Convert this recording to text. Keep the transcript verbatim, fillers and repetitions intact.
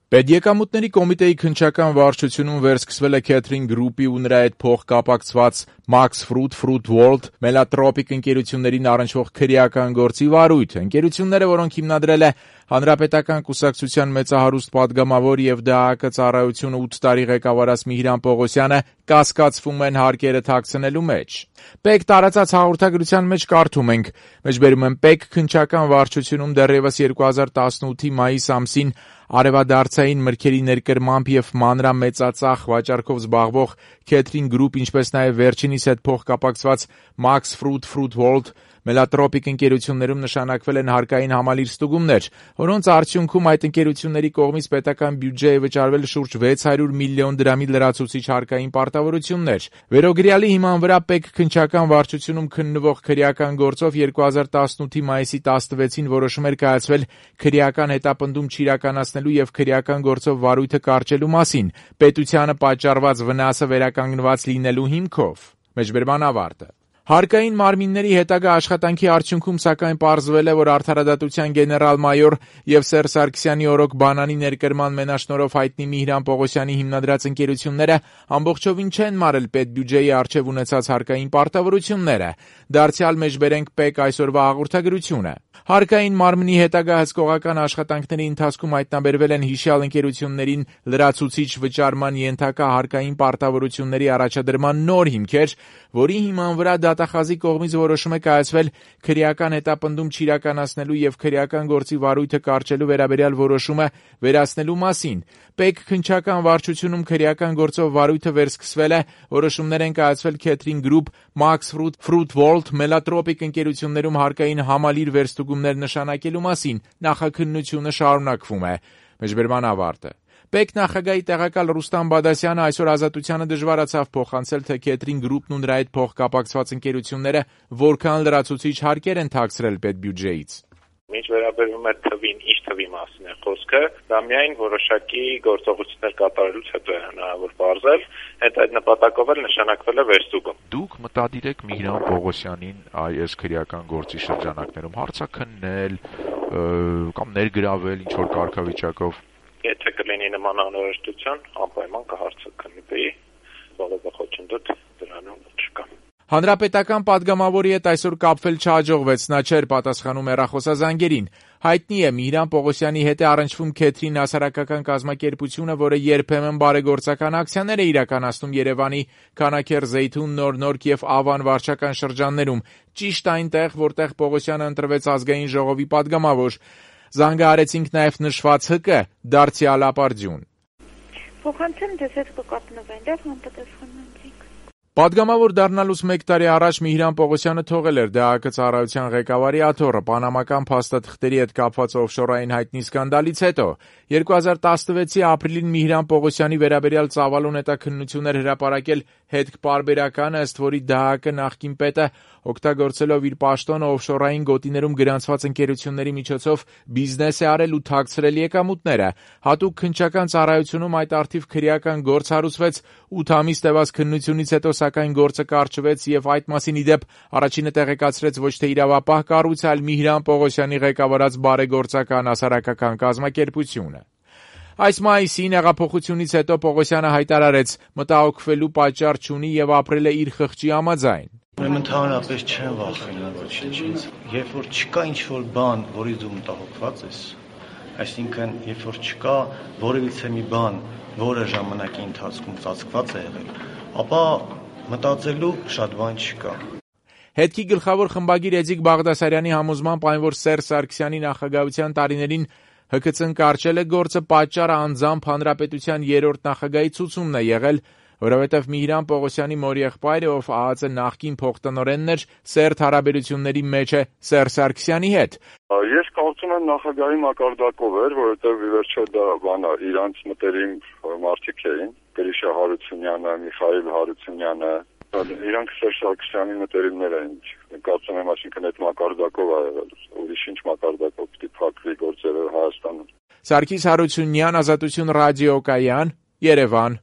Պետեկամուտների կոմիտեի քննչական վարչությունում վերսկսվել է Քեթրին Գրուպի ու նրա հետ փոխկապակցված Max Fruit, Fruit World, Melatropic ընկերություններին առնչվող քրեական գործի վարույթ։ Ընկերությունները, որոնք հիմնադրել է Հանրապետական կուսակցության մեծահարուստ падգամավոր եւ ԴԱԿ ծառայությունը ութ տարի ղեկավարած Միհրան Պողոսյանը, կասկածվում են հարկերը թաքցնելու մեջ։ Պեկ տարածած հաղորդագրության մեջ կարդում ենք. Մեջբերում եմ Պեկ քննչական վարչությունում դեռևս երկու հազար տասնութի մայիս ամսին արևադարձային մրգերի ներկրմամբ եւ մանրամեծածախ վաճառքով զբաղվող Քեթրին Գրուպ, ինչպես նաեւ վերջինիս հետ փոխկապակցված Max Fruit, Fruit World, Melatropic ընկերություններում նշանակվել են հարկային համալիր ստուգումներ, որոնց արդյունքում այդ ընկերությունների կողմից պետական բյուջեի վճարվել շուրջ վեց հարյուր միլիոն դրամի լրացուցիչ հարկային պարտավորություններ։ Վերոգրյալի հիման վրա Պեկ քննչական վարչությունում քննվող քրեական գործով երկու հազար տասնութի մայիսի տասնվեցին որոշում էր կայացվել քրեական հետապնդում չիրականացնելու եւ քրեական գործով վարույթը կարճելու մասին, պետությանը պատճառված վնասը վերականգնված լինելու հիմքով։ Մեջբերման ավարտը։ Հարկային մարմինների հետագա աշխատանքի արդյունքում սակայն պարզվել է, որ Արդարադատության գեներալ-մայոր եւ Սերժ Սարգսյանի օրոք բանանի ներկրման մենաշնորհով հայտնի Միհրան Պողոսյանի հիմնադրած ընկերությունները ամբողջովին չեն մարել պետբյուջեի առջև ունեցած հարկային պարտավորությունները։ Դարձյալ մեջբերենք Պեկ այսօրվա հաղորդագրությունը։ Հարկային մարմնի հետագա հսկողական աշխատանքների ընթացքում հայտնաբերվել են հիշյալ ընկերություններին լրացուցիչ վճարման ենթակա հարկային պարտավորությունների առաջադրման նոր հիմքեր, որի հիման վրա դատախազի կողմից որոշում է կայացվել քրեական հետապնդում չիրականացնելու եւ քրեական գործի վարույթը կարճելու վերաբերյալ որոշումը վերացնելու մասին։ Պեկ քննչական վարչությունում քրեական գործով վարույթը վերսկսվել է, որոշումներ են կայացվել Քեթրին Գրուպ, Max Fruit, Fruit World, Melatropic ընկերություններում հարկային համալիր վերստուգումներ նշանակելու մասին, նախաքննությունը շարունակվում է։ Մեջբերման ավարտը։ Պեկ նախագահի տեղակալ Ռուստամ Բադասյանը այսօր Ազատությանը դժվարացավ փոխանցել, թե Քեթրին Գրուպն ու նրա հետ փոխկապակցված ընկերությունները որքան լրացուցիչ հարկեր են թաքցրել պետբյուջեից։ Ինչ վերաբերում է թվին, ինչ թվի մասին է խոսքը, դա միայն որոշակի գործողություններ կատարելուց հետո է հնարավոր բարձել, հետ այդ նպատակով էլ նշանակվել է վերստուգում։ Դուք մտադիր եք Միհրան Պողոսյանին այս քրեական գործի շրջանակներում հարցաքննել կամ ներգրավել ինչ որ կարգավիճակով։ Եթե կլինի նման անհրաժեշտություն, անպայման կհարցաքննի, որովհետեւ խոչընդոտ դրանում չկա։ Հանրապետական падգամավորի հետ այսօր կապվել չհաջողվեց, նա չէր պատասխանում հեռախոսազանգերին։ Հայտնի է, Միհրան Պողոսյանի հետ է առնչվում Քեթրին հասարակական կազմակերպությունը, որը երբեմն բարեգործական ակցիաներ է իրականացնում Երևանի Քանաքեռ, Զեյթուն, Նոր-Նորք եւ Ավան վարչական շրջաններում, ճիշտ այնտեղ, որտեղ Պողոսյանը ընտրվեց ազգային ժողովի падգամավոր։ Զանգահարեցինք նաև նշված ՀԿ դարձյալ ապարդյուն։ Փոխանցեմ դες հետ կկապնվեն, դեռ համապատասխանենք։ Պատգամավոր դառնալուց մեկ տարի առաջ Միհրան Պողոսյանը թողել էր ԴԱԿ ծառայության ղեկավարի աթոռը պանամական փաստաթղթերի հետ կապված օֆշորային հայտնի սկանդալից հետո։ երկու հազար տասնվեցի ապրիլին Միհրան Պողոսյանի վերաբերյալ ծավալուն հետաքննություններ հրապարակել հետքպարբերականը, ըստ որի ԴԱԿ նախկին պետը օգտագործելով իր պաշտոնը օֆշորային գոտիներում գրանցված ընկերությունների միջոցով բիզնես է արել ու թաքցրել եկամուտները։ Հատուկ քննչական ծառայությունում այդ առթիվ քրեական գործ հարուցվեց, ութ ամիս տևած քննությունից հետո սակայն գործը կարճվեց եւ այդ մասին ի դեպ առաջինը տեղեկացրեց ոչ թե իրավապահ կառույցը, այլ Միհրան Պողոսյանի ղեկավարած բարեգործական հասարակական կազմակերպությունը։ Այս մայիսին հեղափոխությունից հետո Պողոսյանը հայտարարեց, մտահոգվելու պատճառ չունի եւ ապրել է իր խղճի համաձայն։ Ուրեմն ընդհանրապես չեն վախենում ոչինչից։ Երբ որ չկա ինչ-որ բան, որից դու մտահոգված ես, այսինքն երբ որ չկա որևիցե մի բան, որը ժամանակի ընթացքում ծածկված է եղել, ապա մտածելու շատ բան չկա։ Հետքի գլխավոր խմբագիր Էդիկ Բաղդասարյանի համոզմամբ այն, որ Սերժ Սարգսյանի նախագահության տարիներին ՀՔՑ-ն կարճել է գործը, պատճառը անձամբ հանրապետության երրորդ նախագահի ցուցումն է եղել, որովհետև Միհրան Պողոսյանի մոր եղբայրը, ով ԱԱԾ նախկին փոխտնօրենն էր, սերտ հարաբերությունների մեջ է Սերժ Սարգսյանի հետ։ Ես կարծում եմ նախագահի մակարդակով էր, որովհետև ի վերջո դա բանա իրանց մտերիմ մարդիկ էին, Գրիշա Հարությունյանը, Միխայել Հարությունյանը, իրանք Սերժ Սարգսյանի մտերիմներ էին։ Կարծում եմ, այսինքն այդ մակարդակով ա եղել, ուրիշ ինչ մակարդակով պիտի փակվի գործերը Հայաստանում։ Սարգիս Հարությունյան, Ազատություն ռադիոկայան, Երևան։